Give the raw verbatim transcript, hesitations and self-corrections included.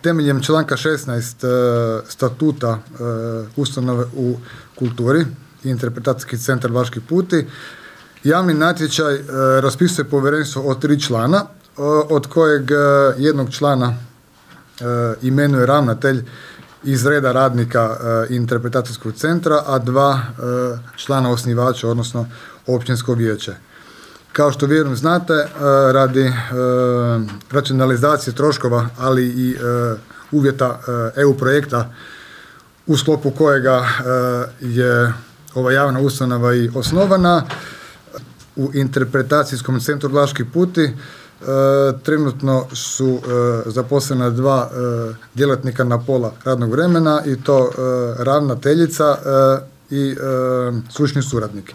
temeljem članka šesnaest statuta ustanove u kulturi i interpretacijski centar Vlaški puti, javni natječaj raspisuje povjerenstvo od tri člana, od kojeg jednog člana imenuje ravnatelj iz reda radnika interpretacijskog centra, a dva člana osnivača, odnosno općinsko vijeće. Kao što vjerujem znate, radi racionalizacije troškova, ali i uvjeta E U projekta u sklopu kojega je ova javna ustanova i osnovana, u interpretacijskom centru Vlaški puti trenutno su zaposlena dva djelatnika na pola radnog vremena, i to ravnateljica i stručni suradnik.